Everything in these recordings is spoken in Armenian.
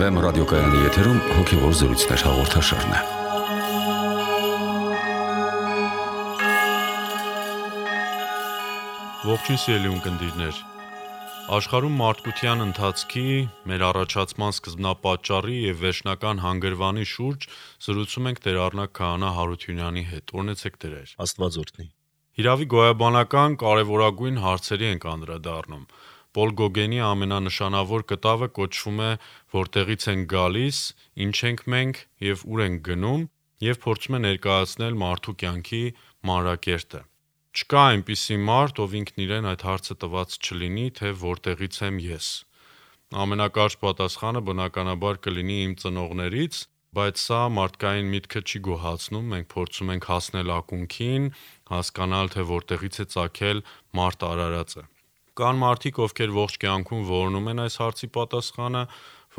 FM ռադիոկայանի եթերում հոգևոր զրույցներ հաղորդաշարն է։ Ողջույն սիրելի ունկնդիրներ։ Աշխարհում մարդկության ընթացքի, մեր առաջացման սկզբնապատճառի եւ վերջնական հանգրվանի շուրջ զրուցում ենք Տեր Առնակ Քահանա Հարությունյանի հետ։ Օրհնեցեք Տերեր։ Աստված օրհնի։ Հիրավի գոյաբանական կարևորագույն հարցերի ենք անդրադառնում։ Պոլ Գոգենի ամենանշանավոր կտավը կոչվում է «Որտեղից ենք գալիս, ինչ ենք մենք եւ ուր ենք գնում» եւ փորձում է ներկայացնել մարդու կյանքի մանրակերտը։ Չկա այնպիսի մարդ, ով ինքն իրեն այդ հարցը տված չլինի, թե որտեղից եմ ես։ Ամենակարճ պատասխանը բնականաբար կլինի իմ ծնողներից, բայց սա մարդկային միտքը չի գոհացնում, մենք փորձում ենք հասնել ակունքին, հասկանալ, թե որտեղից է ծագել մարդ արարածը։ Կան մարդիկ, ովքեր ողջ կյանքում որոնում են այս հարցի պատասխանը,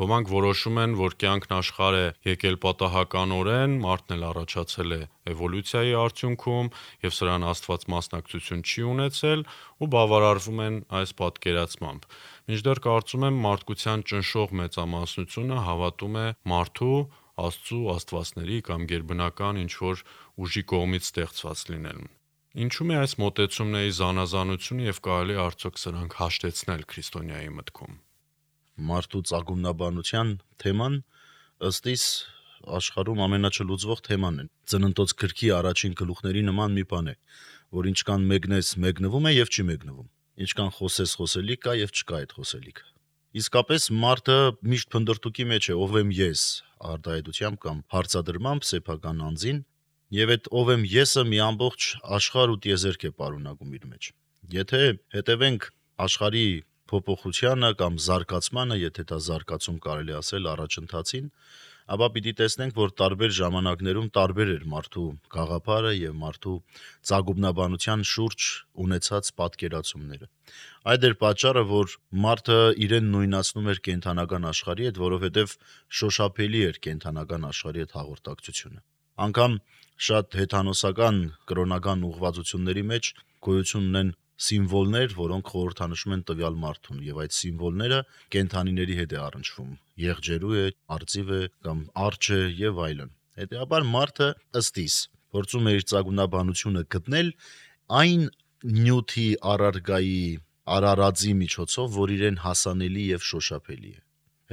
ոմանք որոշում են, որ կյանքն աշխարհ է եկել պատահականորեն, մարդն էլ առաջացել է էվոլյուցիայի արդյունքում եւ սրան Աստված մասնակցություն չի ունեցել ու բավարարվում են այս պատկերացմամբ։ Մինչդեռ կարծում եմ մարդկության ճնշող մեծամասնությունը հավատում է մարդու, Աստծու, աստվածների կամ գերբնական ինչ-որ ուժի կողմից ստեղծված լինելուն։ Ինչու՞ է այս մոտեցումների զանազանությունը եւ կարելի է արդյոք սրանք հաշտեցնել քրիստոնյայի մտքում։ Մարդու ծագումնաբանության թեման ըստ իս աշխարհում ամենաչլուծվող թեման է։ Ծննդոց գրքի առաջին գլուխների նման մի բան է, որ ինչքան մեկնես մեկնվում է եւ չի մեկնվում։ Ինչքան խոսես խոսելիք կա եւ չկա այդ խոսելիքը։ Իսկապես մարդը միշտ փնդրտուքի մեջ է, ով եմ ես, արտահայտությամբ կամ հարցադրմամբ սեփական անձին, եւ այդ ով եմ եսը մի ամբողջ աշխարհ ու տիեզերք է պարունակում իր մեջ։ Եթե հետևենք աշխարհի փոփոխությանը կամ զարգացմանը, եթե դա զարգացում կարելի ասել առաջընթացին, ապա պիտի տեսնենք, որ տարբեր ժամանակներում տարբեր էր մարդու գաղափարը եւ մարդու ծագումնաբանության շուրջ ունեցած պատկերացումները։ Այդ էր պատճառը, որ մարդը իրեն նույնացնում էր կենդանական աշխարհի հետ, որովհետեւ շոշափելի էր կենդանական աշխարհի հետ հաղորդակցությունը։ Անկամ շատ հեթանոսական կրոնական ուղղվածությունների մեջ գոյություն ունեն սիմվոլներ, որոնք խորհրդանշում են տվյալ մարդուն, եւ այդ սիմվոլները կենդանիների հետ է առնչվում։ Եղջերու է, արծիվ է կամ արջ է եւ այլն։ Հետեւաբար մարդը ըստ իս փորձում է իր ծագումնաբանությունը գտնել այն նյութի առարգայի արարածի միջոցով, որ իրեն հասանելի եւ շոշափելի է։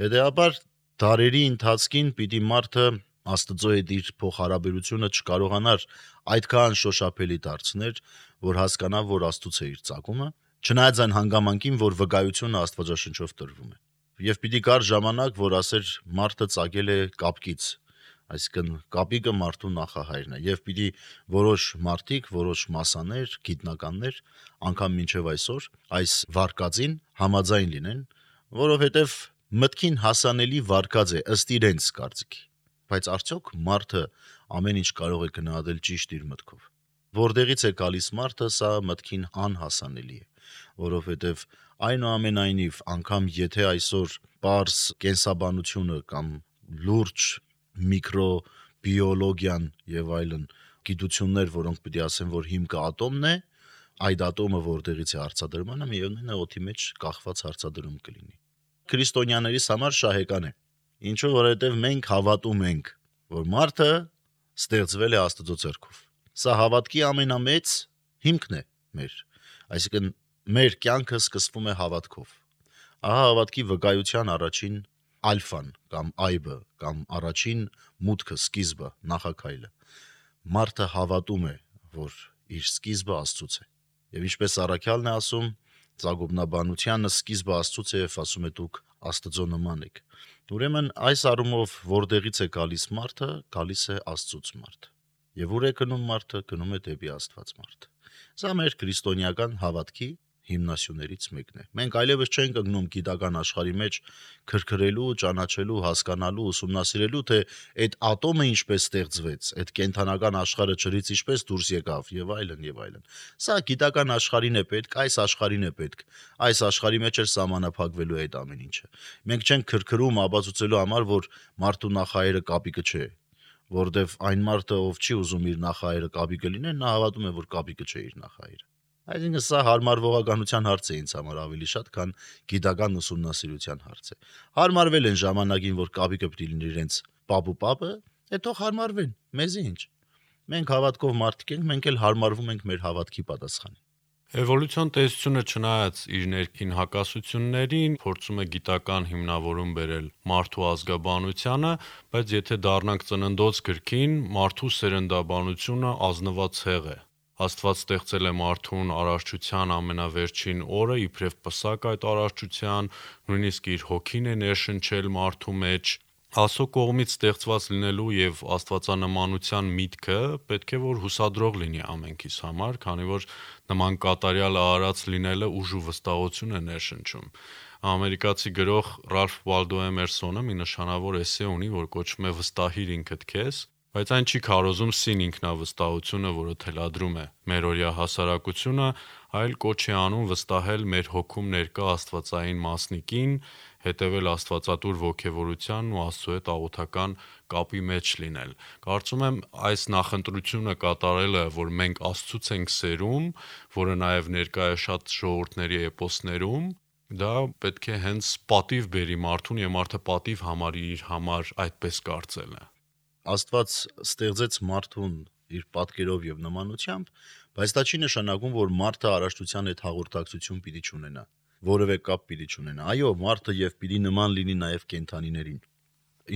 Հետեւաբար դարերի ընթացքին պիտի մարդը Աստծո հետ իր փոխհարաբերությունը չկարողանար այդքան շոշափելի դարձնել, որ հասկանա, որ Աստծուց է իր ծագումը, չնայած այն հանգամանքին, որ վկայությունը Աստվածաշնչով տրվում է։ Եվ պիտի գար ժամանակ, որ ասեր մարդը ծագել է կապկից, այսինքն կապիկը մարդու նախահայրն է, եւ պիտի որոշ մարդիկ, որոշ մասաներ, գիտնականներ, անգամ մինչեւ այսօր այս վարկածին համաձայն լինեն, որովհետեւ մտքին հասանելի վարկած է ըստ իրենց կարծիքի։ Բայց արդյոք մարդը ամեն ինչ կարող է գնահատել ճիշտ իր մտքով։ Որտեղից է գալիս մարդը, սա մտքին անհասանելի է, որովհետև այնուամենայնիվ անգամ եթե այսօր պարզ կենսաբանությունը կամ լուրջ միկրոբիոլոգիան եւ այլն գիտություններ, որոնք պիտի ասեն, որ հիմքը ատոմն է, այդ ատոմը որտեղից է հարցադրմանը, միևնույն է օդի մեջ կախված հարցադրում կլինի։ Քրիստոնյաներիս համար շահեկան է։ Ինչու, որովհետև մենք հավատում ենք, որ մարդը ստեղծվել է Աստծո ձեռքով։ Սա հավատքի ամենամեծ հիմքն է մեր, այսինքն մեր կյանքը սկսվում է հավատքով։ Ահա հավատքի վկայության առաջին ալֆան կամ այբը կամ առաջին մուտքը, սկիզբը, նախաքայլը։ Մարդը հավատում է, որ իր սկիզբը Աստծուց է։ Եվ ինչպես Առաքյալն է ասում, ծագումնաբանությանը սկիզբը Աստծուց է, եւ ասում է դուք Աստծո նման եք։ Ուրեմն այս առումով որտեղից է գալիս մարդը, գալիս է Աստծուց մարդը։ Եվ ուր է գնում մարդը, գնում է դեպի Աստված մարդը։ Սա մեր քրիստոնեական հավատքի հիմնասյուներից մեկն է։ Մենք այլևս չենք ընկնում գիտական աշխարհի մեջ քրքրելու, ճանաչելու, հասկանալու, ուսումնասիրելու, թե այդ ատոմը ինչպես ստեղծվեց, այդ կենդանական աշխարհը ջրից ինչպես դուրս եկավ եւ այլն եւ այլն։ Սա գիտական աշխարհին է պետք, այս աշխարհին է պետք։ Այս աշխարհի մեջ է սահմանափակվելու այդ ամեն ինչը։ Մենք չենք քրքրում ապացուցելու համար, որ մարդու նախահայրը կապիկը չէ, որովհետեւ այն մարդը, ով չի ուզում իր նախահայրը կապիկը լինել, նա հավատում է, որ կապիկը չէ իր նախահայրը։ Այսինքն սա հարմարվողականության հարց է ինձ համար ավելի շատ, քան գիտական ուսումնասիրության հարց է։ Հարմարվել են ժամանակին, որ կապիկը պիտի լինի իրենց պապը, հետո հարմարվեն, մեզի ինչ։ Մենք հավատքով մարդիկ ենք, մենք էլ հարմարվում ենք մեր հավատքի պատասխանին։ Էվոլյուցիոն տեսությունը չնայած իր ներքին հակասություններին փորձում է գիտական հիմնավորում բերել մարդու ազգաբանությանը, բայց եթե դառնանք ծննդոց գրքին, մարդու սերնդաբանությունը ազնված հեղ է։ Աստված ստեղծել է մարդուն արարչության ամենավերջին օրը, իբրև պսակ այդ արարչության, նույնիսկ իր հոգին է ներշնչել մարդու մեջ։ Աստծո կողմից ստեղծված լինելու եւ աստվածանմանության միտքը պետք է որ հուսադրող լինի ամենքիս համար, քանի որ նման կատարյալ արարած լինելը ուժ ու վստահություն է ներշնչում։ Ամերիկացի գրող Ռալֆ Վալդո Էմերսոնը մի նշանավոր էսե ունի, որ կոչվում է «Վստահիր ինքդ քեզ», բայց այն չի քարոզում սին ինքնավստահությունը, որը թելադրում է մերօրյա հասարակությունը, այլ կոչ է անում վստահել մեր հոգում ներկա աստվածային մասնիկին, հետևել աստվածատուր ոգևորությանն ու Աստծո հետ աղոթական կապի մեջ լինել։ Կարծում եմ այս նախընտրությունը կատարելը, որ մենք Աստծուց ենք սերում, որը նաև ներկա է շատ ժողովուրդների էպոսներում, դա պետք է հենց պատիվ բերի մարդուն եւ մարդը պատիվ համարի իր համար այդպես կարծելը։ Աստված ստեղծեց մարդուն իր պատկերով եւ նմանությամբ, բայց դա չի նշանակում, որ մարդը արարչության հետ հաղորդակցություն պիտի չունենա, որևէ կապ պիտի չունենա։ Այո, մարդը եւ պիտի նման լինի նաեւ կենդանիներին։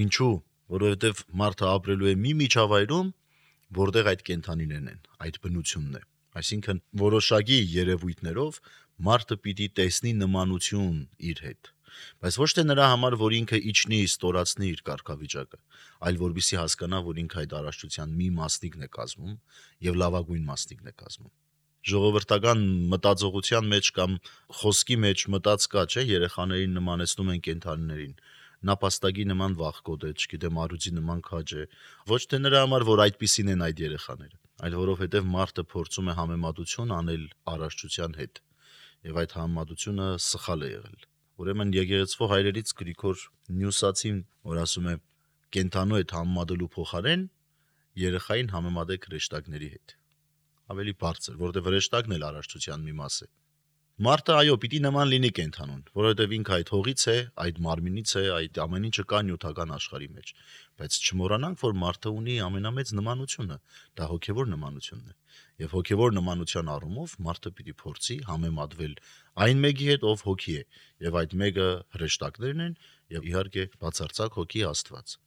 Ինչու՞։ Որովհետեւ մարդը ապրելու է մի միջավայրում, որտեղ այդ կենդանիներն են, այդ բնությունն է։ Այսինքն որոշակի երևույթներով մարդը պիտի տեսնի նմանություն իր հետ, բայց ոչ թե նրա համար, որ ինքը իջնի ստորացնի իր կարգավիճակը, այլ որպեսզի հասկանա, որ ինքը այդ արարչության մի մասնիկն է կազմում եւ լավագույն մասնիկն է կազմում։ Ժողովրդական մտածողության մեջ կամ խոսքի մեջ մտած կա, չէ, երեխաներին նմանեցնում են կենդանիներին, նապաստակի նման վախկոտ է, չգիտեմ, արուձի նման քաջ է, ոչ թե նրա համար, որ այդպիսին են այդ երեխաները, այլ որովհետեւ մարդը փորձում է համեմատություն անել արարչության հետ, եւ այդ համեմատությունը սխալ է եղել։ Ուրեմն եկեղեցվո հայրերից Գրիգոր Նյուսացին, որ ասում է կենդանու հետ համեմատելու փոխարեն երեխային համեմատեք հրեշտակների հետ։ Ավելի բարձր, որովհետեւ հրեշտակն էլ արարչության մի մաս է։ Մարդը այո, պիտի նման լինի կենդանուն, որովհետեւ ինքը այդ հողից է, այդ մարմինից է, այդ ամեն ինչը կա նյութական աշխարհի մեջ, բայց չմոռանանք, որ մարդը ունի ամենամեծ նմանությունը, դա հոգևոր նմանությունն է, եւ հոգևոր նմանության առումով մարդը պիտի փորձի համեմատվել այն մեկի հետ, ով հոգի է, եւ այդ մեկը հրեշտակներն են, եւ իհարկե բացարձակ հոգի Աստված։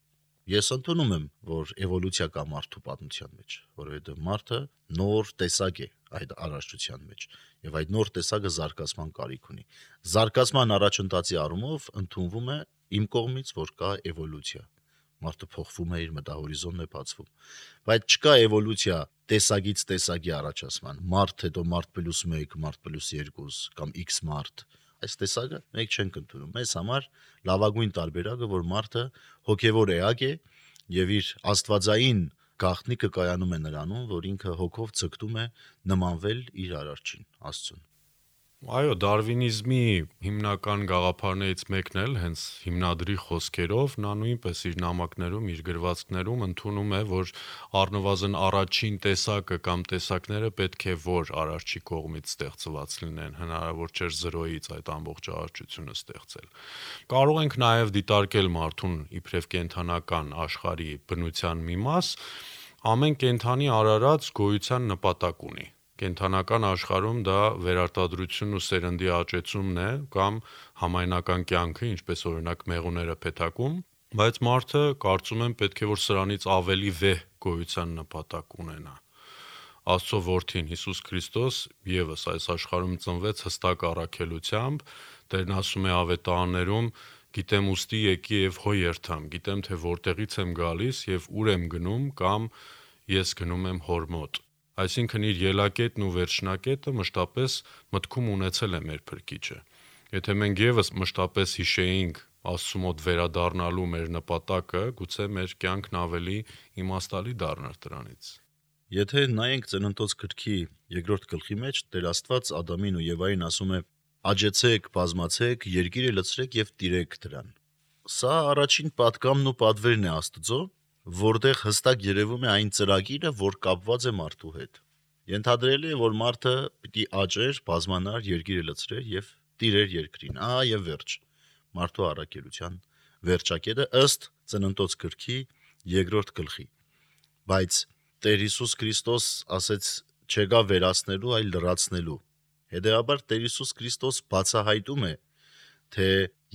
Ես ընդունում եմ, որ էվոլյուցիա կա մարդու պատմության մեջ, որովհետև մարդը նոր տեսակ է այդ արարչության մեջ, եւ այդ նոր տեսակը զարգացման կարիք ունի։ Զարգացման առաջընթացի առումով ընդունվում է իմ կողմից, որ կա էվոլյուցիա։ Մարդը փոխվում է, իր մտահորիզոնն է բացվում, բայց չկա էվոլյուցիա տեսակից տեսակի առաջացման։ Մարդ հետո մարդ + 1, մարդ + 2 կամ X մարդ։ Այս տեսակը մենք չենք ընդունում։ Մեզ համար լավագույն տարբերակը, որ մարդը հոգևոր էակ է եւ իր աստվածային գաղտնիքը կայանում է նրանում, որ ինքը հոգով ցկտում է նմանվել իր արարչին, Աստծուն։ Այո, դարվինիզմի հիմնական գաղափարներից մեկն էլ հենց հիմնադրի խոսքերով նա նույնպես իր նամակներում, իր գրվածքներում ընդունում է, որ առնվազն առաջին տեսակը կամ տեսակները պետք է որ արարչի կողմից ստեղծված լինեն, հնարավոր չէր զրոյից այդ ամբողջ արարչությունը ստեղծել։ Կարող ենք նաև դիտարկել մարդուն իբրև կենդանական աշխարհի բնության մի մաս, ամեն կենդանի արարած գոյության նպատակ ունի։ Կենդանական աշխարհում դա վերարտադրությունն ու սերնդի աճեցումն է կամ համայնական կյանքը, ինչպես օրինակ մեղուները փեթակում, բայց մարդը կարծում եմ պետք է որ սրանից ավելի վեհ գոյության նպատակ ունենա։ Աստծո որդին Հիսուս Քրիստոս եւս այս աշխարհում ծնվեց հստակ առաքելությամբ, Տերն ասում է ավետարաններում. «Գիտեմ ուստի եկի եւ հո երթամ, գիտեմ թե որտեղից եմ գալիս եւ ուր եմ գնում կամ ես գնում եմ հոր մոտ»։ Այսինքն իր ելակետն ու վերջնակետը մշտապես մտքում ունեցել է մեր Փրկիչը։ Եթե մենք եւս մշտապես հիշեինք Աստծու մոտ վերադառնալու մեր նպատակը, գուցե մեր կյանքն ավելի իմաստալի դառնար դրանից։ Եթե նայենք Ծննդոց գրքի 2-րդ գլխի մեջ, Տեր Աստված Ադամին ու Եվային ասում է. «Աճեցեք, բազմացեք, երկիրը լցրեք եւ տիրեք դրան»։ Սա առաջին պատգամն ու պատվերն է Աստծո, որտեղ հստակ երևում է այն ծրագիրը, որ կապված է մարդու հետ։ Ենթադրելի է, որ մարդը պիտի աճեր, բազմանար, երկիրը լցրեր եւ տիրեր երկրին։ Եվ վերջ։ Մարդու առաքելության վերջակետը ըստ Ծննդոց գրքի 2-րդ գլխի։ Բայց Տեր Հիսուս Քրիստոս ասեց չեկա վերացնելու, այլ լրացնելու։ Հետևաբար Տեր Հիսուս Քրիստոս բացահայտում է, թե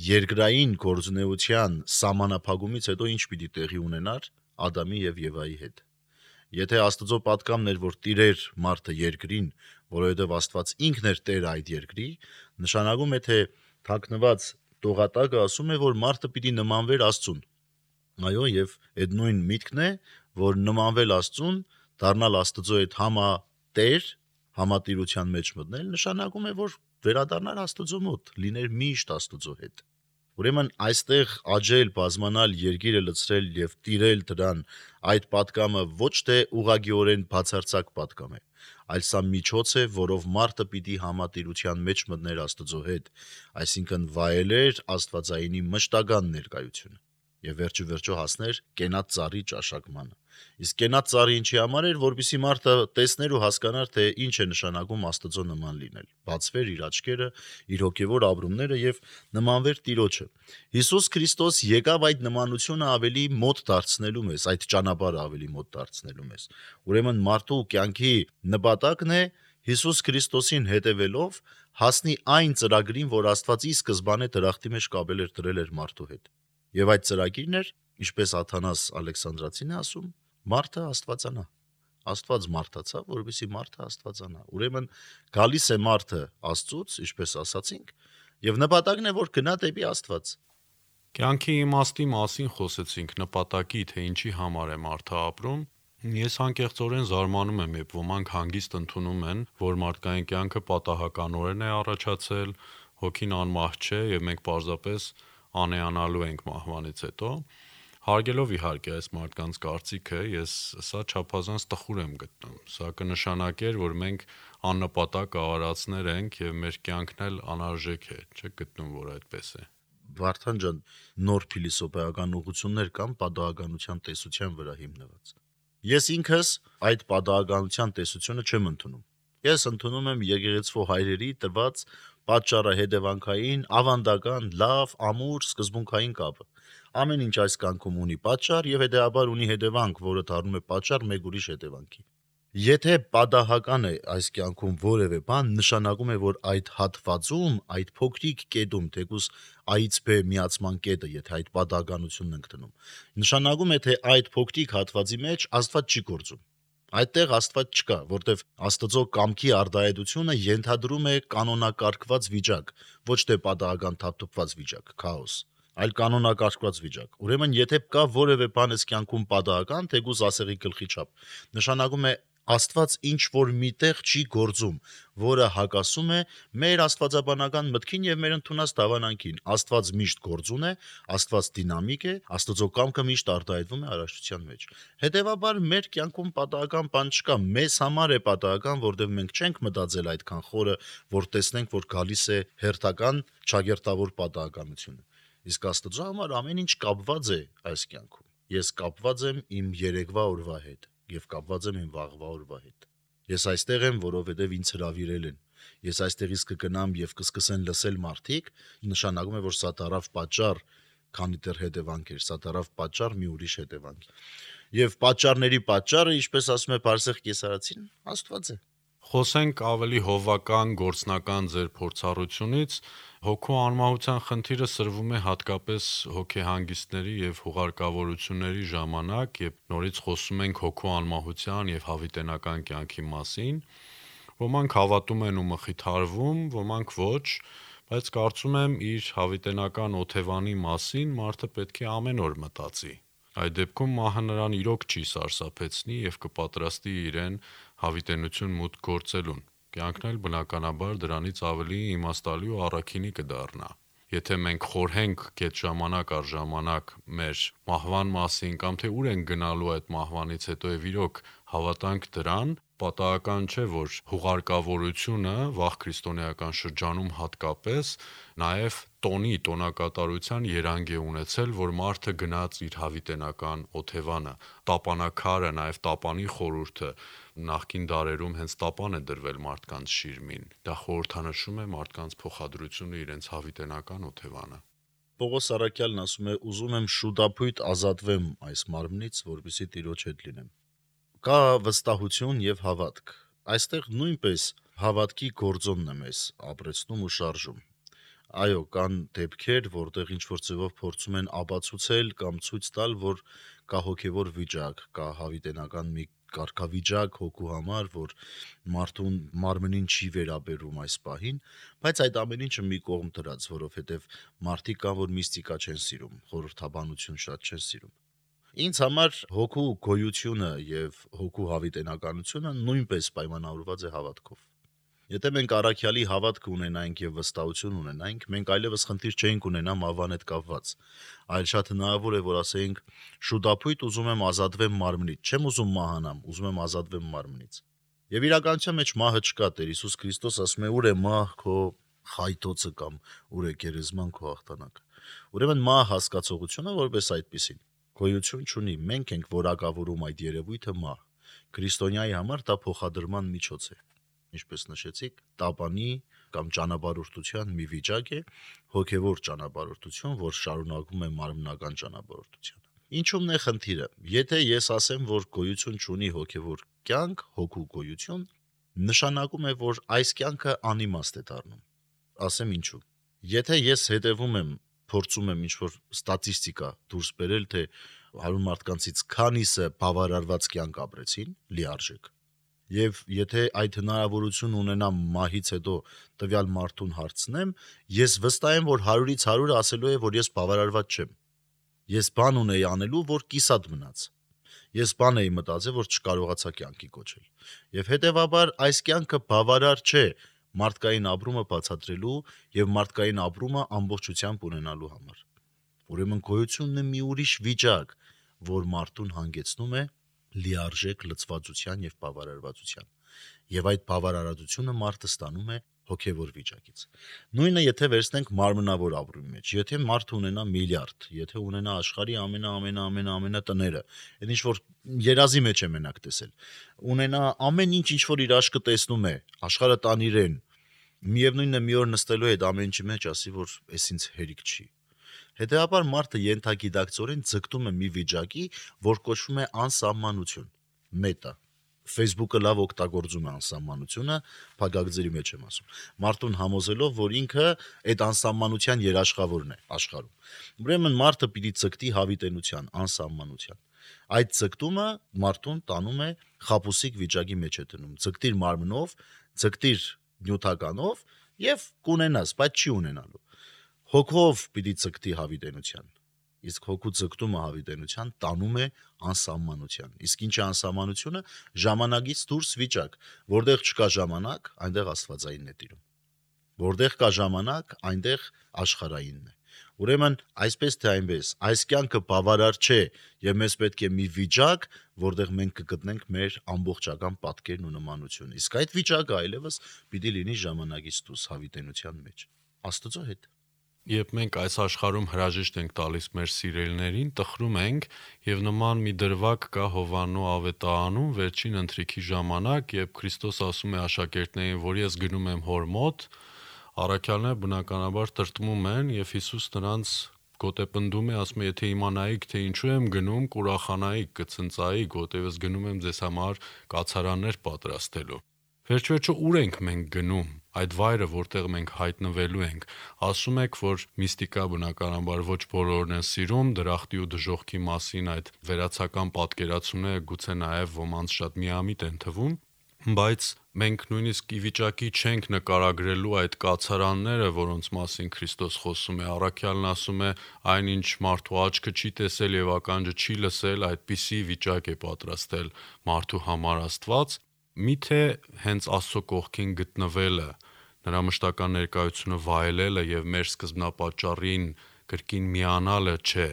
երկրային գործունեության սահմանափակումից հետո ինչ պիտի տեղի ունենար Ադամի եւ Եվայի հետ։ Եթե Աստծո պատկամն էր, որ տիրեր մարդը երկրին, որովհետև Աստված ինքն էր Տերը այդ երկրի, նշանակում է, թե թաքնված տողատակը ասում է, որ մարդը պիտի նմանվեր Աստծուն։ Այո, եւ այդ նույն միտքն է, որ նմանվել Աստծուն, դառնալ Աստծո հետ համատեր, համատիրության մեջ մտնել, նշանակում է, որ վերադառնալ Աստծո մոտ, լիներ միշտ Աստծո հետ։ Ուրեմն այստեղ աճել, բազմանալ, երկիրը լցրել եւ տիրել դրան, այդ պատկամը ոչ թե ուղղակիորեն բացարձակ պատկամ է, այլ սա միջոց է, որով մարդը պիտի համատիրության մեջ մտներ Աստծո հետ, այսինքն վայելեր Աստվածայինի մշտական ներկայությունը եւ վերջիվերջո հասներ կենաց ծառի ճաշակմանը։ Իսկ կենաց ծառի ինչի համար էր, որպեսզի մարդը տեսներ ու հասկանար, թե ինչ է նշանակում Աստծո նման լինել, բացվեր իր աչքերը, իր հոգեվոր ապրումները եւ նմանվեր Տիրոջը։ Հիսուս Քրիստոս եկավ այդ նմանությունը ավելի մոտ դարձնելու մեզ, այդ ճանապարհը ավելի մոտ դարձնելու մեզ։ Ուրեմն մարդու կյանքի նպատակն է Հիսուս Քրիստոսին հետևելով հասնի այն ծրագրին, որ Աստված ի սկզբանե դրախտի մեջ կապել էր դրել էր մարդու հետ։ Եվ այդ ծրագիրն էր, ինչպես Աթանաս Ալեքսանդրացին է ասում, մարդը Աստվածանա։ Աստված մարդացավ, որովհետեւ մարդը Աստվածանա։ Ուրեմն գալիս է մարդը Աստծուց, ինչպես ասացինք, եւ նպատակն է, որ գնա դեպի Աստված։ Կյանքի իմաստի մասին խոսեցինք, նպատակի, թե ինչի համար է մարդը ապրում։ Ես անկեղծորեն զարմանում եմ, երբ ոմանք հանգիստ ընդունում են, որ մարդկային կյանքը պատահականորեն է առաջացել, հոգին անմահ չէ եւ մենք պարզապես անեանալու ենք մահվանից հետո։ Հարգելով իհարկե այս մարդկանց կարծիքը, ես սա չափազանց տխուր եմ գտնում։ Սա կնշանակեր, որ մենք աննպատակ ավարածներ ենք եւ մեր կյանքն էլ անարժեք է, չէ՞ գտնում, որ այդպես է։ Վարդան ջան, նոր փիլիսոփայական ուղղություններ կան պատահականության տեսության վրա հիմնված։ Ես ինքս այդ պատահականության տեսությունը չեմ ընդունում։ Ես ընդունում եմ եկեղեցու հայրերի տված պատճառահետևանքային, ավանդական, լավ, ամուր, սկզբունքային կապը։ Ամեն ինչ այս կյանքում ունի պատճառ եւ հետեւաբար ունի հետևանք, որը դառնում է պատճառ մեկ ուրիշ հետևանքի։ Եթե պատահական է այս կյանքում որևէ բան, նշանակում է, որ այդ հատվածում, այդ փոքրիկ կետում, թեկուզ A-ից B միացման կետը, եթե այդ պատահականությունն ենք դնում, նշանակում է, թե այդ փոքրիկ հատվածի մեջ Աստված չի գործում։ Այդտեղ Աստված չկա, որտեվ Աստծո կամքի արտահայտությունը ենթադրում է կանոնակարգված վիճակ, ոչ թե պատահական թափթփված վիճակ, քաոս, այլ կանոնակարգված վիճակ։ Ուրեմն, եթե կա որևէ բան այս կյանքում պատահական, թեկուզ ասեղի գլխի չափ, նշանակում է Աստված ինչ որ միտեղ չի գործում, որը հակասում է մեր աստվածաբանական մտքին եւ մեր ընդունած դավանանքին։ Աստված միշտ գործուն է, Աստված դինամիկ է, Աստծո կամքը միշտ արտահայտվում է արարչության մեջ։ Հետևաբար մեր կյանքում պատահական բան չկա, մեզ համար է պատահական, որտեղ մենք չենք մտածել այդքան խորը, որ տեսնենք, որ գալիս է հերթական ճագերտավոր պատահականությունը։ Իսկ Աստծո համար ամեն ինչ կապված է այս կյանքում։ Ես կապված եմ իմ երեկվա օրվա հետ եւ կապված եմ իմ վաղվա օրվա հետ։ Ես այստեղ եմ, որովհետեւ ինձ հրավիրել են։ Ես այստեղից կգնամ եւ կսկսեն լսել մարդիկ, նշանակում է, որ սա դարավ պատճառ, քանի դեռ հետևանք էր, սա դարավ պատճառ մի ուրիշ հետևանք։ Եվ պատճառների պատճառը, ինչպես ասում է Բարսեղ Կեսարացին, Աստված է։ Խոսենք ավելի հովական, գործնական ձեր փորձառությունից։ Հոգու անմահության խնդիրը սրվում է հատկապես հոգեհանգիստների եւ հուղարկավորությունների ժամանակ, երբ նորից խոսում ենք հոգու անմահության եւ հավիտենական կյանքի մասին։ Ոմանք հավատում են ու մխիթարվում, ոմանք ոչ, բայց կարծում եմ իր հավիտենական օթևանի մասին մարդը պետք է ամեն օր մտածի։ Այդ դեպքում մահը նրան իրոք չի սարսափեցնի եւ կպատրաստի իրեն հավիտենություն մուտք գործելուն։ Կյանքն էլ բնականաբար դրանից ավելի իմաստալի ու առաքինի կդառնա։ Եթե մենք խորհենք գետ ժամանակ առ ժամանակ մեր մահվան մասին կամ թե ուր են գնալու այդ մահվանից հետո եւ իրոք Հավատանք դրան, պատահական չէ, որ հուղարկավորությունը վաղ քրիստոնեական շրջանում հատկապես նաև տոնակատարության երանգ է ունեցել, որ մարդը գնաց իր հավիտենական օթևանը, տապանաքարը, նաև տապանի խորհուրդը նախկին դարերում հենց տապան է դրվել մարդկանց շիրմին, դա խորհրդանշում է մարդկանց փոխադրությունը իրենց հավիտենական օթևանը։ Պողոս Արաքյալն ասում է. ուզում եմ շուտապույտ ազատվեմ այս մարմնից, որպեսզի Տիրոջ հետ լինեմ։ Կա վստահություն եւ հավատք։ Այստեղ նույնպես հավատքի գործոնն է մեզ ապրեցնում ու շարժում։ Այո, կան դեպքեր, որտեղ ինչ-որ ձևով փորձում են ապացուցել կամ ցույց տալ, որ կա հոգևոր վիճակ, կա հավիտենական մի կարգավիճակ հոգու համար, որ մարդուն մարմնին չի վերաբերում այս պահին, բայց այդ ամեն ինչը մի կողմ դրած, որովհետև մարդիկ կան, որ միստիկա չեն սիրում, խորհրդաբանություն շատ չեն սիրում։ Ինձ համար հոգու գոյությունը եւ հոգու հավիտենականությունը նույնպես պայմանավորված է հավատքով։ Եթե մենք Արաքյալի հավատք ունենայինք եւ վստահություն ունենայինք, մենք այլևս խնդիր չէինք ունենա մավան հետ կապված, այլ շատ հնարավոր է, որ ասեինք շուտապույտ ուզում եմ ազատվեմ մարմնից, չեմ ուզում մահանամ, ուզում եմ ազատվեմ մարմնից։ Եվ իրականության մեջ մահը չկա, Տեր Հիսուս Քրիստոս ասում է՝ ուր է մահ քո խայտոցը կամ ուր է գերեզման քո հաղթանակը։ Ուրեմն մահ հասկացողությունը որպես այդպիսին գոյություն չունի, մենք ենք որակավորում այդ երևույթը մահ։ Քրիստոնյայի համար դա փոխադրման միջոց է։ Ինչպես նշեցիք, տապանի կամ ճանապարհորդության մի վիճակ է, հոգևոր ճանապարհորդություն, որ շարունակում է մարմնական ճանապարհորդությանը։ Ինչու՞մն է խնդիրը։ Եթե ես ասեմ, որ գոյություն չունի հոգևոր կյանք, հոգու գոյություն, նշանակում է, որ այս կյանքը անիմաստ է դառնում։ Ասեմ ինչու։ Եթե ես հետևում եմ, փորձում եմ ինչ-որ ստատիստիկա դուրս բերել, թե 100 մարդկանցից քանիսը բավարարված կյանք ապրեցին, լիարժեք։ Եվ եթե այդ հնարավորություն ունենամ մահից հետո տվյալ մարդուն հարցնեմ, ես վստահ եմ, որ 100-ից 100-ը ասելու է, որ ես բավարարված չեմ։ Ես բան ունեի անելու, որ կիսատ մնաց։ Ես բան էի մտածել, որ չկարողացա կյանքի կոչել։ Եվ հետևաբար այս կյանքը բավարար չէ մարդկային ապրումը բացատրելու եւ մարդկային ապրումը ամբողջությամբ ունենալու համար։ Ուրեմն գոյությունն է մի ուրիշ վիճակ, որ մարդուն հանգեցնում է լիարժեք լծվածության եւ բավարարվածության։ Եվ այդ բավարարությունը մարդը ստանում է հոգևոր վիճակից։ Նույնը եթե վերցնենք մարմնավոր ապրումի մեջ, եթե մարդը ունենա միլիարդ, եթե ունենա աշխարհի ամենա տները, այդ ինչ որ երազի մեջ է մենակ տեսել, ունենա ամեն ինչ որ իր աչքը տեսնում է, աշխարհը տան իրեն, միևնույնն է մի օր նստելու է այդ ամեն ինչի մեջ ասի, որ էս ինձ հերիք չի։ Հետևաբար մարդը ենթագիտակցորեն ձգտում է մի վիճակի, որ կոչվում է անսահմանություն, մետա։ Facebook-ը լավ օգտագործում է անսահմանությունը, փակագծերի մեջ եմ ասում։ Մարդուն համոզելով, որ ինքը այդ անսահմանության երաշխավորն է աշխարհում։ Ուրեմն մարդը պիտի ձգտի հավիտենության, անսահմանության։ Այդ ձգտումը մարդուն տանում է խաբուսիկ վիճակի մեջ է դնում։ Ձգտիր մարմնով, ձգտիր նյութականով եւ կունենաս, բայց չի ունենալու։ Հոգով պիտի ձգտի հավիտենության։ Իսկ հոգու ձգտումը հավիտենության տանում է անսահմանության։ Իսկ ինչ է անսահմանությունը։ Ժամանակից դուրս վիճակ, որտեղ չկա ժամանակ, այնտեղ աստվածայինն է տիրում։ Որտեղ կա ժամանակ, այնտեղ աշխարհայինն է։ Ուրեմն այսպես թե այնպես, այս կյանքը բավարար չէ եւ մեզ պետք է մի վիճակ, որտեղ մենք կգտնենք մեր ամբողջական պատկերն ու նմանությունը։ Իսկ այդ վիճակը այլևս պիտի լինի ժամանակից դուրս հավիտենության մեջ։ Աստծո հետ։ Երբ մենք այս աշխարհում հրաժեշտ ենք տալիս մեր սիրելիներին, տխրում ենք եւ նման մի դրվագ կա Հովաննու ավետարանում վերջին ընթրիքի ժամանակ, երբ Քրիստոս ասում է աշակերտներին, որ ես գնում եմ հոր մոտ, առաքյալները բնականաբար տրտմում են եւ Հիսուս նրանց գոտեպնդում է, ասում է, եթե իմանայիք, թե ինչու եմ գնում, կուրախանայիք, կցնծայիք, որտեղ ես գնում եմ ձեզ համար կացարաններ պատրաստելու։ Վերջ-վերջո ուր ենք մենք գնում, այդ վայրը, որտեղ մենք հայտնվելու ենք։ Ասում եք, որ միստիկա բնականաբար ոչ բոլորն են սիրում, դրախտի ու դժոխքի մասին այդ վերացական պատկերացումները գուցե նաև ոմանց շատ միամիտ են թվում, բայց մենք նույնիսկ ի վիճակի չենք նկարագրելու այդ կացարանները, որոնց մասին Քրիստոս խոսում է։ Առաքյալն ասում է, այնինչ մարդու աչքը չի տեսել եւ ականջը չի լսել, այդպիսի վիճակ է պատրաստել մարդու համար Աստված։ Միթե հենց Աստծո կողքին գտնվելը, նրա մշտական ներկայությունը վայելելը եւ մեր սկզբնապատճառին կրկին միանալը չէ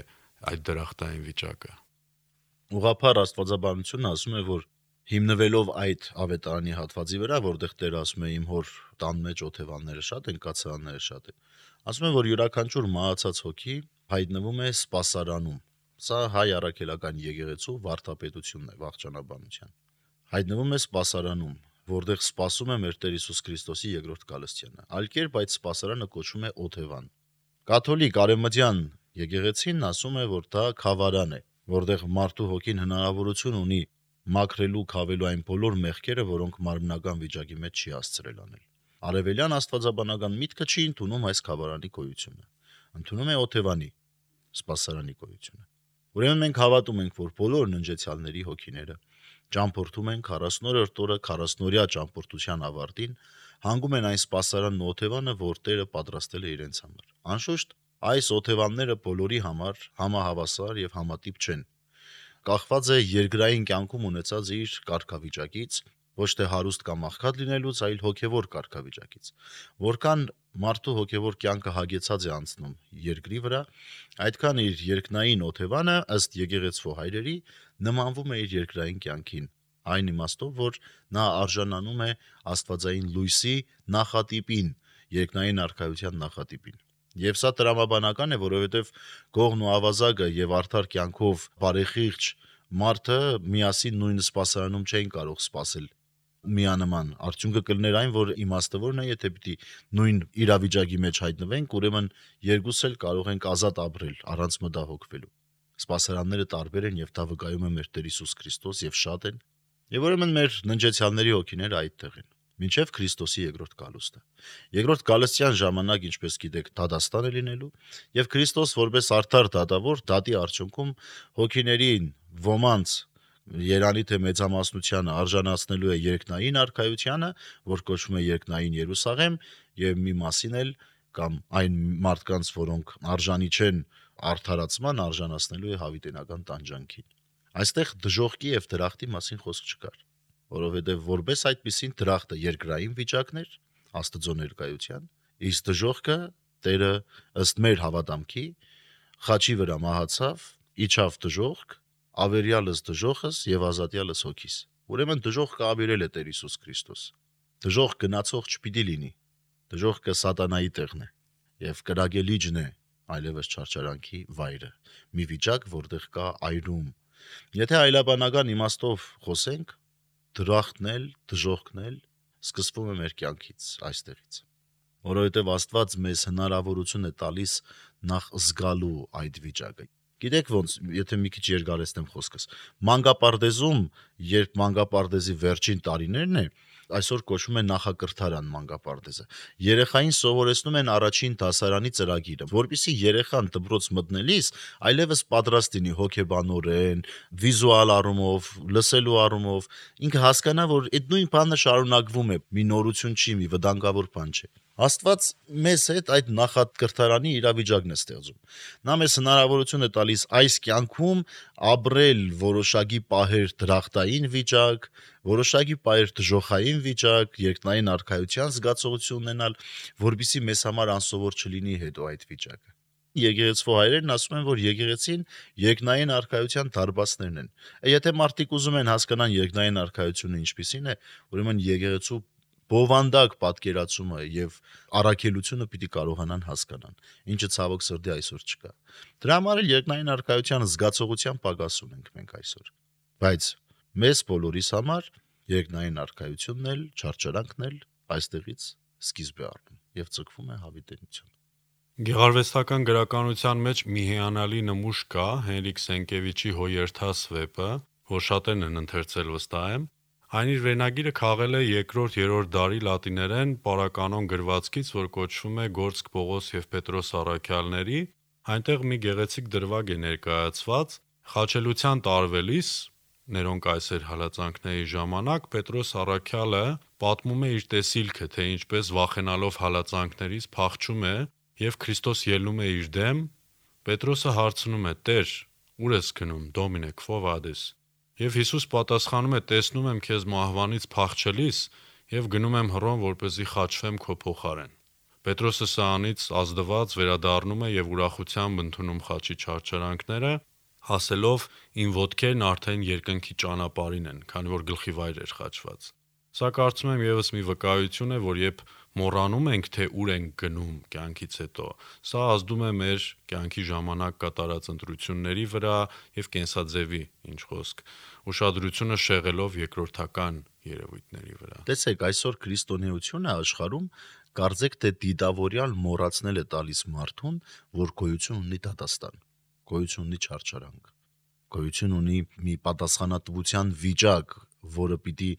այդ դրախտային վիճակը։ Ուղղափառ աստվածաբանությունը ասում է, որ հիմնվելով այդ ավետարանի հատվածի վրա, որտեղ Տերը ասում է իմ հոր տան մեջ օթևանները շատ են, կացարանները շատ են, ասում է, որ յուրաքանչյուր մահացած հոգի հայտնվում է սպասարանում։ Սա հայ առաքելական եկեղեցու վարդապետությունն է վաղճանաբանության։ Հայտնվում է սպասարանում, որտեղ սպասում է մեր Տեր Հիսուս Քրիստոսի երկրորդ գալստյանը։ Այլ կերպ այդ սպասարանը կոչվում է օթևան։ Կաթոլիկ արևմտյան եկեղեցին ասում է, որ դա քավարան է, որտեղ մարդու հոգին հնարավորություն ունի մաքրելու, քավելու այն բոլոր մեղքերը, որոնք մարմնական վիճակի մեջ չի հասցրել անել։ Արևելյան աստվածաբանական միտքը չի ընդունում այս քավարանի գոյությունը, ընդունում է օթևանի սպասարանի գոյությունը։ Ուրեմն մենք հավատում ենք, որ բոլոր ննջեցյալների հոգիները ճամփորդում են 40-րդ օրը 40-օրյա ճամփորդության ավարտին, հանգում են այն սպասարանն ու օթևանը, որ Տերը պատրաստել է իրենց համար։ Անշուշտ, այս օթևանները բոլորի համար համահավասար եւ համատիպ չեն։ Կախված է երկրային կյանքում ունեցած իր կարգավիճակից, ոչ թե հարուստ կամ աղքատ լինելուց, այլ հոգևոր կարգավիճակից։ Որքան մարդու հոգևոր կյանքը հագեցած է անցնում երկրի վրա, այդքան իր երկնային օթևանը, ըստ եկեղեցու հայրերի, նմանվում է իր երկրային կյանքին, այն իմաստով, որ նա արժանանում է աստվածային լույսի նախատիպին, երկնային արքայության նախատիպին։ Եվ սա տրամաբանական է, որովհետև գողն ու ավազակը եւ արդար կյանքով բարեխիղճ մարդը միասին նույն սպասարանում չէին կարող սպասել միանման։ Արդյունքը կլներ այն, որ իմաստավորն է, եթե պիտի նույն իրավիճակի մեջ հայտնվենք, ուրեմն երկուս էլ կարող ենք ազատ ապրել առանց մտահոգվելու։ Սպասարանները տարբեր են եւ դա վկայում է մեր Տեր Հիսուս Քրիստոս եւ շատ են։ Եվ ուրեմն մեր ննջեցյալների հոգիները այդտեղ են, մինչև Քրիստոսի երկրորդ գալուստը։ Երկրորդ գալստյան ժամանակ, ինչպես գիտեք, դատաստան է լինելու, եւ Քրիստոս որպես արդար դատավոր դատի արդյունքում հոգիներին ոմանց երանի թե մեծամասնությանը արժանացնելու է երկնային արքայությանը, որ կոչվում է երկնային Երուսաղեմ, եւ մի մասին էլ կամ այն մարդկանց, որոնք արժանի չեն արդարացման, արժանացնելու է հավիտենական տանջանքին։ Այստեղ դժոխքի եւ դրախտի մասին խոսք չկար, որովհետեւ որպես այդպիսին դրախտը երկրային վիճակներ Աստծո ներկայության, իսկ դժոխքը Տերը ըստ մեր հավատամքի խաչի վրա մահացավ, իջավ դժոխք, ավերյալս դժոխս եւ ազատյալս հոգիս։ Ուրեմն դժոխքը ավերել է Տեր Հիսուս Քրիստոս։ Դժոխք գնացող չպիտի լինի։ Դժոխքը սատանայի տեղն է եւ կրակելիջն է այլևս չարչարանքի վայրը։ Մի վիճակ, որտեղ կա այրում։ Եթե այլաբանական իմաստով խոսենք, դրախտն էլ, դժոխքն էլ սկսվում է մեր կյանքից, այստեղից։ Որովհետև Աստված մեզ հնարավորություն է տալիս նախ զգալու այդ վիճակը։ Գիտեք ոնց, եթե մի քիչ երկարեցնեմ խոսքս, մանկապարտեզում, երբ մանկապարտեզի վերջին տարիներն է, այսօր կոչվում է նախակրթարան մանկապարտեզը։ Երեխային սովորեցնում են առաջին դասարանի ծրագիրը, որպեսզի երեխան դպրոց մտնելիս այլևս պատրաստ լինի հոգեբանորեն, վիզուալ առումով, լսելու առումով, ինքը հասկանա, որ այդ նույն բանը շարունակվում է, մի նորություն չի, մի վտանգավոր բան չէ։ Աստված մեզ հետ այդ նախակրթարանի իրավիճակն է ստեղծում։ Նա մեզ հնարավորություն է տալիս այս կյանքում ապրել որոշակի պահեր դրախտային վիճակ, որոշակի պահեր դժոխային վիճակ, երկնային արքայության զգացողություն ունենալ, որպեսզի մեզ համար անսովոր չլինի հետո այդ վիճակը։ Եկեղեցու հայրերն ասում են, որ եկեղեցին երկնային արքայության դարբասներն են։ Եթե մարդիկ ուզում են հասկանան երկնային արքայությունը ինչպիսին է, ուրեմն եկեղեցու բովանդակ պատկերացումը եւ առաքելությունը պիտի կարողանան հասկանան, ինչը ցավոք սրտի այսօր չկա։ Դրա համար էլ երկնային արքայության զգացողության պակաս ունենք մենք այսօր։ Բայց մեզ բոլորիս համար երկնային արքայությունն էլ, չարչարանքն էլ այստեղից սկիզբ է առնում եւ ցկվում է հավիտենություն։ Գեղարվեստական գրականության մեջ մի հիանալի նմուշ կա Հենրիկ Սենկևիչի Հոյերթաս վեպը, որ շատերն են ընթերցել վստահ եմ։ Այն իր վերնագիրը քաղել է 2-3 դարի լատիներեն պարականոն գրվածքից, որ կոչվում է Գործք Պողոս եւ Պետրոս առաքյալների։ Այնտեղ մի գեղեցիկ դրվագ է ներկայացված։ Խաչելության տարվելիս Ներոն կայսեր հալածանքների ժամանակ Պետրոս առաքյալը պատմում է իր տեսիլքը, թե ինչպես վախենալով հալածանքներից փախչում է եւ Քրիստոս ելնում է իր դեմ։ Պետրոսը հարցնում է. «Տեր, ուր ես գնում, Դոմինե, քո վադես»։ Եվ Հիսուս պատասխանում է. «Տեսնում եմ քեզ մահվանից փախչելիս եւ գնում եմ հռոմ, որպեսզի խաչվեմ քո փոխարեն»։ Պետրոսը սրանից ազդված վերադառնում է եւ ուրախությամբ ընդունում խաչի չարչարանքները։ հասելով իմ ոտքերն արդեն երկնքի ճանապարհին են, քանի որ գլխի վայր էր խաչված։ Սա կարծում եմ եւս մի վկայություն է, որ երբ մոռանում ենք, թե ուր ենք գնում կյանքից հետո, սա ազդում է մեր կյանքի ժամանակ կատարած ընտրությունների վրա եւ կենսաձևի, ինչ խոսք, ուշադրությունը շեղելով երկրորդական երևույթների վրա։ Տեսեք, այսօր քրիստոնեությունը աշխարհում կարծեք թե դիտավորյալ մոռացնել է տալիս մարդուն, որ գոյություն ունի դատաստան, գոյություն ունի չարչարանք, գոյություն ունի մի պատասխանատվության վիճակ, որը պիտի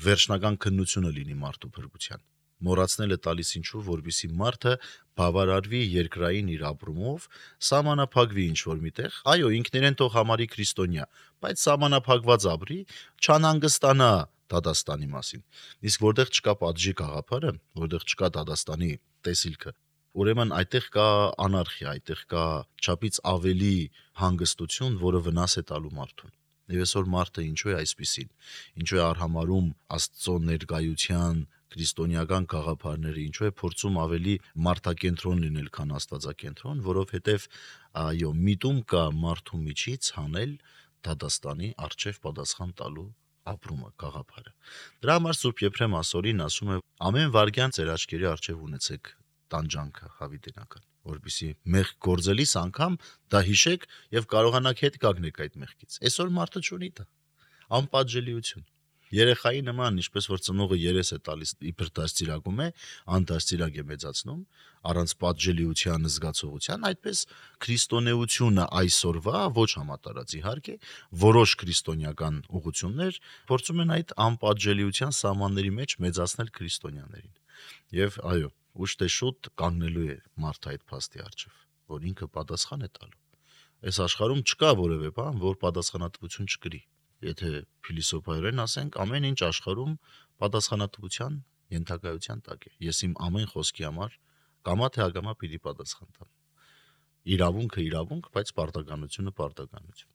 վերջնական քննությունը լինի մարդու փրկության։ Մոռացնել է տալիս ինչու, որպեսզի մարդը բավարարվի երկրային իր ապրումով, սահմանափակվի ինչ-որ միտեղ, այո, ինքներեն թող համարի քրիստոնյա, բայց սահմանափակված ապրի, չանհանգստանա դատաստանի մասին։ Իսկ որտեղ չկա պատժի գաղափարը, որտեղ չկա դատաստանի տեսիլքը, ուրեմն այդտեղ կա անարխիա, այդտեղ կա չափից ավելի հանգստություն, որը վնաս է տալու մարդուն։ Եվ այսօր մարդը ինչու է այսպիսին, ինչու է արհամարհում Աստծո ներկայության քրիստոնեական գաղափարները, ինչու է փորձում ավելի մարդակենտրոն լինել, քան աստվածակենտրոն, որովհետև այո, միտում կա մարդու միջից հանել դատաստանի առջև պատասխան տալու ապրումը, գաղափարը։ Դրա համար Սուրբ Եփրեմ ասորին ասում է. ամեն վարքյան ձեր աչքերի առջև ունեցեք տանջանքը հավիտենական, որպեսզի մեղք գործելիս անգամ դա հիշեք եւ կարողանաք հետ կանգնեք այդ մեղքից։ Այսօր մարդը չունի դա, անպատժելիություն։ Երեխայի նման, ինչպես որ ծնողը երես է տալիս, իբր դաստիարակում է, անդաստիարակ է մեծացնում, առանց պատժելիության զգացողության, այդպես քրիստոնեությունը այսօրվա ոչ համատարած իհարկե, որոշ քրիստոնեական ուղղություններ փորձում են այդ անպատժելիության սահմանների մեջ մեծացնել քրիստոնյաներին։ Եվ այո, ուշ թե շուտ կանգնելու է մարդը այդ փաստի առջև, որ ինքը պատասխան է տալու։ Այս աշխարհում չկա որևէ բան, որ պատասխանատվություն չկրի։ Եթե փիլիսոփայորեն ասենք, ամեն ինչ աշխարհում պատասխանատվության ենթակայության տակ է։ Ես իմ ամեն խոսքի համար կամա թե ակամա պիտի պատասխան տամ։ Իրավունքը իրավունք, բայց պարտականությունը պարտականություն։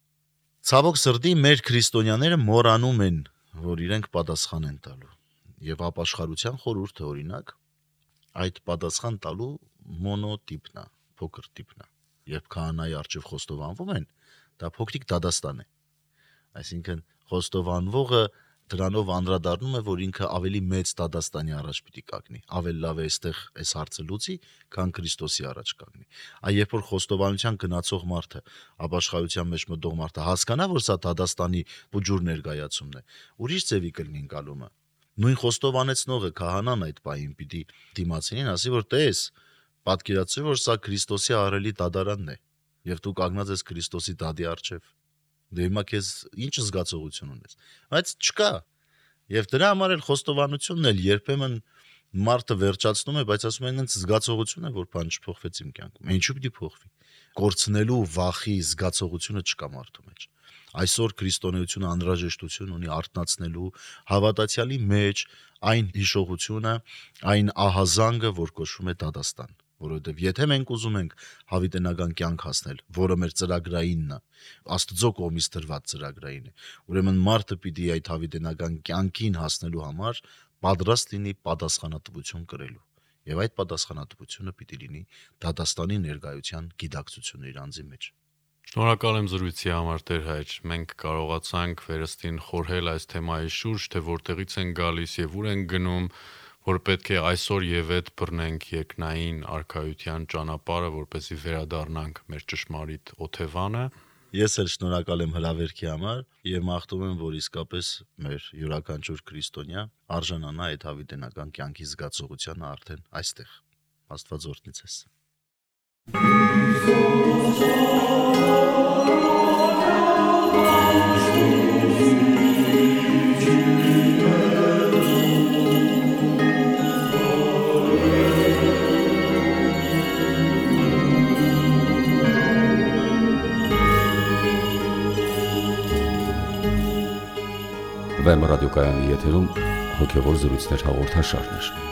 Ցավոք սրտի մեր քրիստոնյաները մոռանում են, որ իրենք պատասխան են տալու։ Եվ ապաշխարության խորհուրդը օրինակ այդ պատասխան տալու մոնոտիպն է, փոքր տիպն է։ Երբ քահանայի առջև խոստովանվում են, դա փոքրիկ դատաստան է։ Այսինքն խոստովանվողը դրանով անդրադառնում է, որ ինքը ավելի մեծ դատաստանի առաջ պիտի կանգնի, ավելի լավ է այստեղ այս հարցը լուծի, քան Քրիստոսի առաջ կանգնի։ Այ երբ որ խոստովանության գնացող մարդը, ապաշխարության մեջ մտող մարդը հասկանա, որ սա դատաստանի բուջուր ներկայացումն է, ուրիշ ձևի կլինի գալումը։ Նույն խոստովանեցնողը քահանան այդ պահին պիտի դիմացինին ասի, որ տես, պատկերացրու, որ սա Քրիստոսի ահռելի դատարանն է, եւ դու կանգնած ես Քրիստոսի դատի առջև։ Դե հիմա քեզ ինչ զգացողություն ունես, բայց չկա։ Եվ դրա համար էլ խոստովանությունն էլ երբեմն մարդը վերջացնում է, բայց ասում են ինձ զգացողություն է, որ բան չփոխվեց իմ կյանքում։ Ինչու՞ պիտի փոխվի։ Կորցնելու վախի զգացողությունը չկա մարդու մեջ։ Այսօր քրիստոնեությունը անհրաժեշտություն ունի արթնացնելու հավատացյալի մեջ այն հիշողությունը, այն ահազանգը, որ կոչվում է դատաստան։ Որովհետև եթե մենք ուզում ենք հավիտենական կյանք հասնել, որը մեր ծրագրայինն է, Աստծո կողմից տրված ծրագրային է, ուրեմն մարդը պիտի այդ հավիտենական կյանքին հասնելու համար պատրաստ լինի պատասխանատվություն կրելու։ Եվ այդ պատասխանատվությունը պիտի լինի դատաստանի ներկայության գիտակցությունը իր անձի մեջ։ Շնորհակալ եմ զրույցի համար, Տեր Հայր։ Մենք կարողացանք վերստին խորհել այս թեմայի շուրջ, թե որտեղից են գալիս եւ ուր են գնում, որ պետք է այսօր եւ այդ բռնենք երկնային արքայության ճանապարհը, որպեսզի վերադառնանք մեր ճշմարիտ օթևանը։ Ես էլ շնորհակալ եմ հրավերքի համար եւ մաղթում եմ, որ իսկապես մեր յուրաքանչյուր քրիստոնյա արժանանա այդ հավիտենական կյանքի զգացողությանը արդեն այստեղ։ Աստված օրհնի ձեզ։ Վեմ ռադիոկայանի եթերում հոգևոր զրույցներ հաղորդաշարներ։